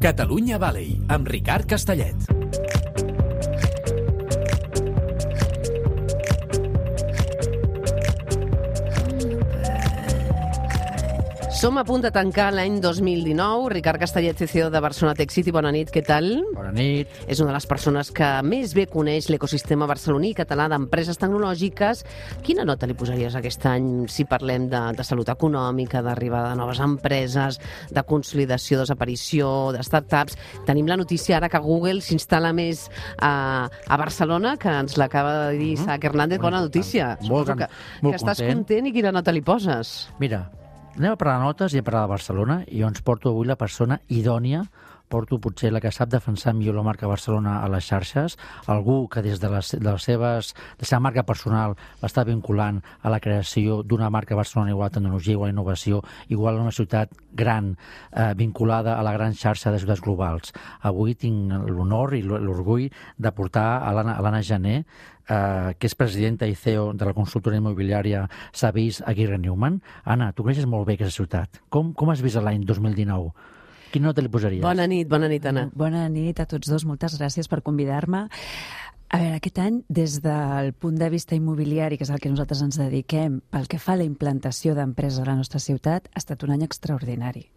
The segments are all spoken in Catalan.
Catalunya Valley, amb Ricard Castellet. Som a punt de tancar l'any 2019. Ricard Castellet, CCO de Barcelona Tech City. Bona nit, què tal? Bona nit. És una de les persones que més bé coneix l'ecosistema barceloní i català d'empreses tecnològiques. Quina nota li posaries aquest any si parlem de salut econòmica, d'arribada de noves empreses, de consolidació, desaparició, de startups? Tenim la notícia ara que Google s'instal·la més a Barcelona, que ens l'acaba de dir Isaac Hernández. Bona notícia. Molt que estàs content i quina nota li poses? Mira, anem a parlar de notes i a parlar de Barcelona, i jo ens porto avui la persona idònia, porto potser la que sap defensar millor la marca Barcelona a les xarxes, algú que des de la seva marca personal l'està vinculant a la creació d'una marca Barcelona igual a tecnologia, igual a innovació, igual a una ciutat gran, vinculada a la gran xarxa de ciutats globals. Avui tinc l'honor i l'orgull de portar a l'Anna Gené, que és presidenta i CEO de la consultora immobiliària Savís Aguirre Newman. Anna, tu coneixes molt bé aquesta ciutat. Com has vist l'any 2019? Quina nota li posaries? Bona nit, Anna. Bona nit a tots dos, moltes gràcies per convidar-me. A veure, aquest any, des del punt de vista immobiliari, que és el que nosaltres ens dediquem, pel que fa a la implantació d'empreses a la nostra ciutat, ha estat un any extraordinari.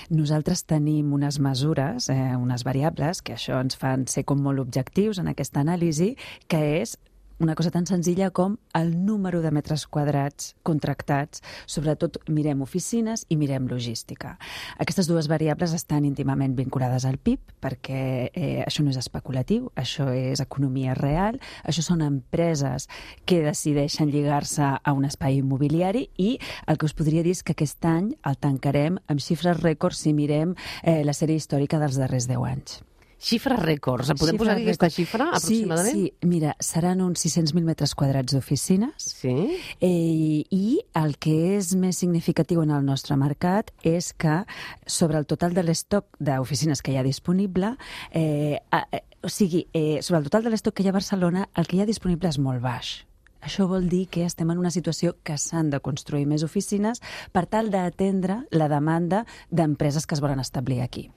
Nosaltres tenim unes mesures, unes variables, que això ens fan ser com molt objectius en aquesta anàlisi, que és una cosa tan senzilla com el número de metres quadrats contractats. Sobretot mirem oficines i mirem logística. Aquestes dues variables estan íntimament vinculades al PIB, perquè això no és especulatiu, això és economia real, això són empreses que decideixen lligar-se a un espai immobiliari, i el que us podria dir és que aquest any el tancarem amb xifres rècords si mirem la sèrie històrica dels darrers 10 anys. Xifres rècords. Podem posar aquesta xifra, aproximadament? Sí, mira, seran uns 600.000 metres quadrats d'oficines. Sí. I el que és més significatiu en el nostre mercat és que sobre el total de l'estoc d'oficines que hi ha disponible, sobre el total de l'estoc que hi ha a Barcelona, el que hi ha disponible és molt baix. Això vol dir que estem en una situació que s'han de construir més oficines per tal d'atendre la demanda d'empreses que es volen establir aquí.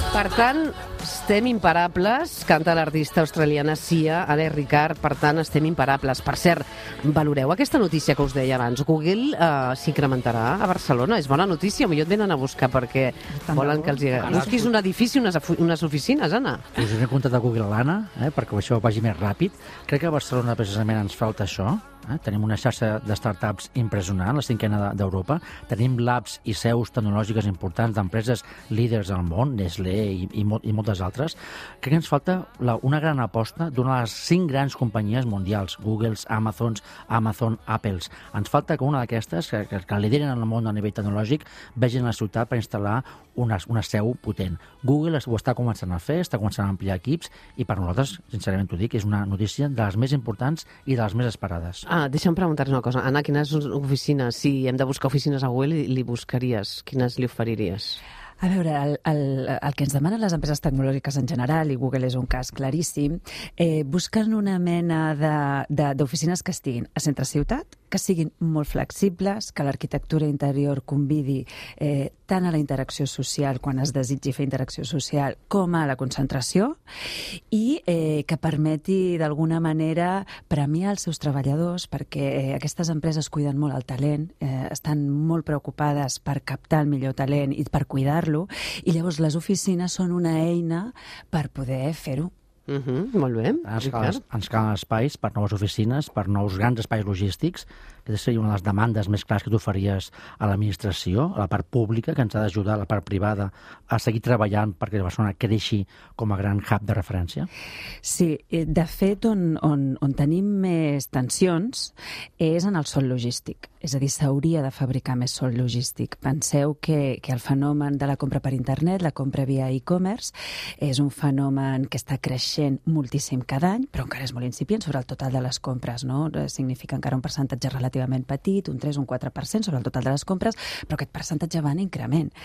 Per tant, estem imparables, canta l'artista australiana Sia, ara Ricard, per tant, estem imparables. Per cert, valoreu aquesta notícia que us deia abans. Google s'incrementarà a Barcelona. És bona notícia, millor et venen a buscar perquè volen que els busquis un edifici, unes oficines, Anna. Us he contat a Google a l'Anna, perquè això vagi més ràpid. Crec que a Barcelona precisament ens falta això. Tenim una xarxa de startups impressionant, la 5a d'Europa. Tenim labs i seus tecnològiques importants d'empreses líders al món, Nestlé i moltes altres. Crec que ens falta una gran aposta d'una de les 5 grans companyies mundials, Googles, Amazon, Apples. Ens falta que una d'aquestes, que lideren en el món a nivell tecnològic, vegin la ciutat per instal·lar una seu potent. Google ho està començant a fer, està començant a ampliar equips, i per nosaltres, sincerament t'ho dic, és una notícia de les més importants i de les més esperades. Deixa'm preguntar-te una cosa. Anna, quines oficines, si hem de buscar oficines a Google, li buscaries? Quines li oferiries? A veure, el que ens demanen les empreses tecnològiques en general, i Google és un cas claríssim, busquen una mena d'oficines que estiguin a centre ciutat, que siguin molt flexibles, que l'arquitectura interior convidi tant a la interacció social, quan es desitgi fer interacció social, com a la concentració, i que permeti d'alguna manera premiar els seus treballadors, perquè aquestes empreses cuiden molt el talent, estan molt preocupades per captar el millor talent i per cuidar-lo, i llavors les oficines són una eina per poder fer-ho. Molt bé. Ens calen espais per noves oficines, per nous grans espais logístics. Aquesta seria una de les demandes més clares que tu faries a l'administració, a la part pública, que ens ha d'ajudar a la part privada a seguir treballant perquè Barcelona creixi com a gran hub de referència? Sí, de fet, on tenim més tensions és en el sòl logístic. És a dir, s'hauria de fabricar més sòl logístic. Penseu que el fenomen de la compra per internet, la compra via e-commerce, és un fenomen que està creixent moltíssim cada any, però encara és molt incipient sobre el total de les compres, no? Significa encara un percentatge relativament petit, un 3 o un 4% sobre el total de les compres, però aquest percentatge va en increment.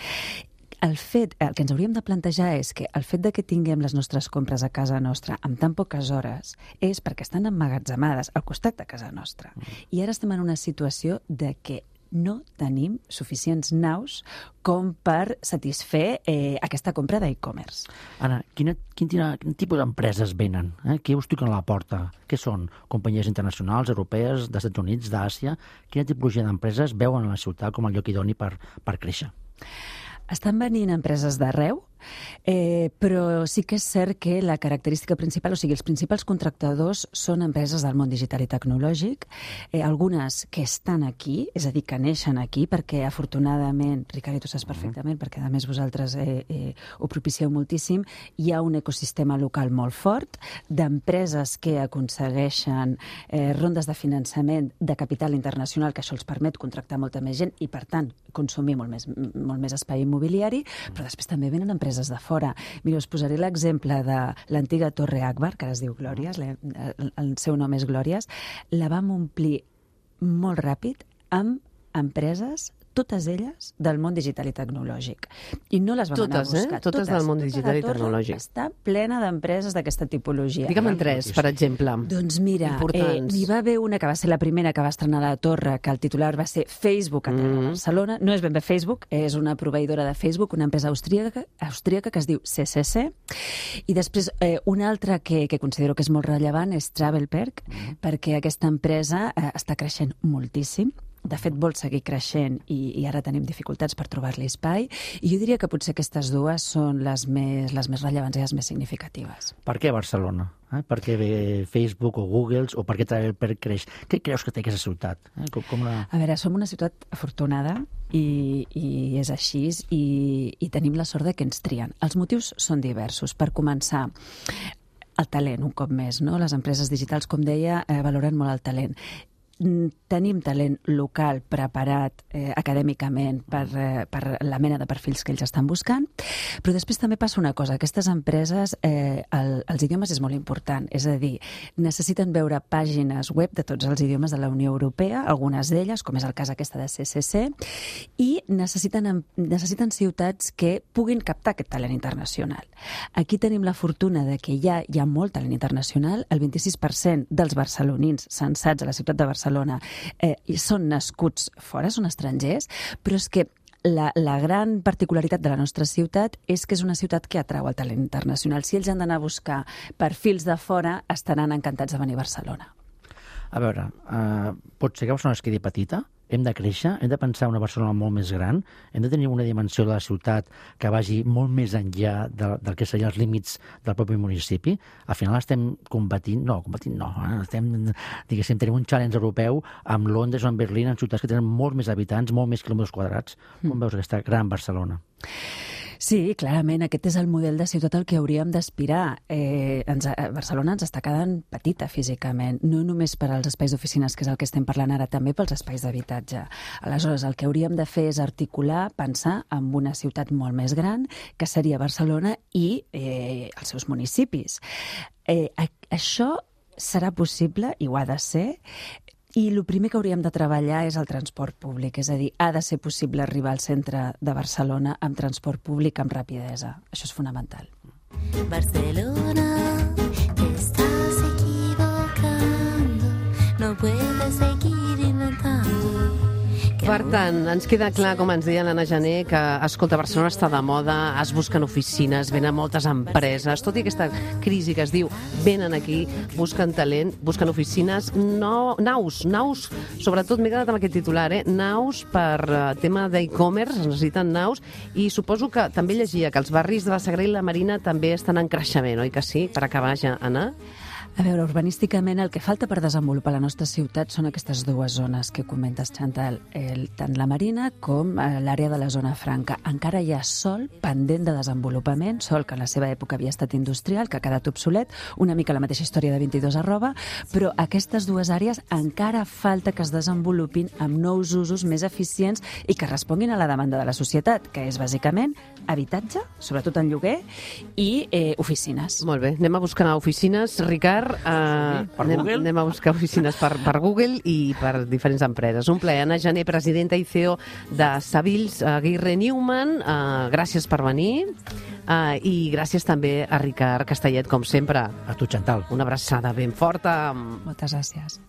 el que ens hauríem de plantejar és que el fet de que tinguem les nostres compres a casa nostra amb tan poques hores és perquè estan emmagatzemades al costat de casa nostra. I ara estem en una situació de que no tenim suficients naus com per satisfer aquesta compra d'e-commerce. Anna, quin tipus d'empreses venen? Què us toquen a la porta? Què són? Companyies internacionals, europees, dels Estats Units, d'Àsia? Quina tipologia d'empreses veuen a la ciutat com el lloc idoni per créixer? Estan venint empreses d'arreu, però sí que és cert que la característica principal, o sigui, els principals contractadors són empreses del món digital i tecnològic, algunes que estan aquí, és a dir, que neixen aquí, perquè afortunadament, Ricard, i tu saps perfectament, perquè a més vosaltres ho propicieu moltíssim, hi ha un ecosistema local molt fort d'empreses que aconsegueixen rondes de finançament de capital internacional, que això els permet contractar molta més gent i, per tant, consumir molt més espai immobiliari, però després també venen empreses de fora. Mira, us posaré l'exemple de l'antiga Torre Akbar, que ara es diu Glòries, el seu nom és Glòries, la vam omplir molt ràpid amb empreses, totes elles del món digital i tecnològic. I no les vam anar a buscar. Totes del món digital i tecnològic. Està plena d'empreses d'aquesta tipologia. Digue'm en tres, per exemple. Doncs mira, n'hi va haver una que va ser la primera que va estrenar a la Torre, que el titular va ser Facebook a Barcelona. No és ben bé Facebook, és una proveïdora de Facebook, una empresa austríaca que es diu CCC. I després una altra que considero que és molt rellevant és Travelperk, perquè aquesta empresa està creixent moltíssim. De fet, vol seguir creixent i ara tenim dificultats per trobar-li espai. I jo diria que potser aquestes dues són les més rellevants i les més significatives. Per què Barcelona? Per què ve Facebook o Google o per què Travelperk creix? Què creus que té aquesta ciutat? A veure, som una ciutat afortunada i és així i tenim la sort de que ens trien. Els motius són diversos. Per començar, el talent, un cop més, no? Les empreses digitals, com deia, valoren molt el talent. Tenim talent local preparat acadèmicament per la mena de perfils que ells estan buscant, però després també passa una cosa. Aquestes empreses, els idiomes és molt important, és a dir, necessiten veure pàgines web de tots els idiomes de la Unió Europea, algunes d'elles, com és el cas aquesta de CCC, i necessiten ciutats que puguin captar aquest talent internacional. Aquí tenim la fortuna de que hi ha molt talent internacional. El 26% dels barcelonins censats a la ciutat de Barcelona són nascuts fora, són estrangers, però és que la gran particularitat de la nostra ciutat és que és una ciutat que atrau el talent internacional. Si ells han d'anar a buscar perfils de fora, estaran encantats de venir a Barcelona. A veure, pot ser que Barcelona es quedi petita? Hem de créixer? Hem de pensar en una Barcelona molt més gran? Hem de tenir una dimensió de la ciutat que vagi molt més enllà del que serien els límits del propi municipi? Al final estem competint no. Estem, diguéssim, tenim un challenge europeu amb Londres o amb Berlín, en ciutats que tenen molts més habitants, molt més quilòmetres quadrats. Com veus aquesta gran Barcelona? Sí, clarament, aquest és el model de ciutat al que hauríem d'aspirar. Barcelona ens està quedant petita físicament, no només per als espais d'oficines, que és el que estem parlant ara, també pels espais d'habitatge. Aleshores, el que hauríem de fer és articular, pensar en una ciutat molt més gran, que seria Barcelona i els seus municipis. Això serà possible, i ho ha de ser, i el primer que hauríem de treballar és el transport públic, és a dir, ha de ser possible arribar al centre de Barcelona amb transport públic amb rapidesa. Això és fonamental. Barcelona, te estás equivocando, no puedes seguir inventando. Per tant, ens queda clar, com ens deia l'Anna Gené, que, escolta, Barcelona està de moda, es busquen oficines, venen moltes empreses, tot i aquesta crisi que es diu, venen aquí, busquen talent, busquen oficines, naus, sobretot m'he quedat amb aquest titular, naus per tema d'e-commerce, es necessiten naus, i suposo que també llegia que els barris de la Sagrera i la Marina també estan en creixement, oi que sí? Per acabar ja, Anna? A veure, urbanísticament el que falta per desenvolupar la nostra ciutat són aquestes dues zones que comentes, Chantal, tant la Marina com l'àrea de la zona franca. Encara hi ha sòl pendent de desenvolupament, sòl que en la seva època havia estat industrial, que ha quedat obsolet, una mica la mateixa història de 22@, però aquestes dues àrees encara falta que es desenvolupin amb nous usos més eficients i que responguin a la demanda de la societat, que és bàsicament habitatge, sobretot en lloguer, i oficines. Molt bé, anem a buscar oficines. Ricard, Ricard. Per Google? Anem a buscar oficines per Google i per diferents empreses. Un plaer. Anna Gené, presidenta i CEO de Savills Aguirre Newman. Gràcies per venir. I gràcies també a Ricard Castellet, com sempre. A tu, Chantal. Una abraçada ben forta. Moltes gràcies.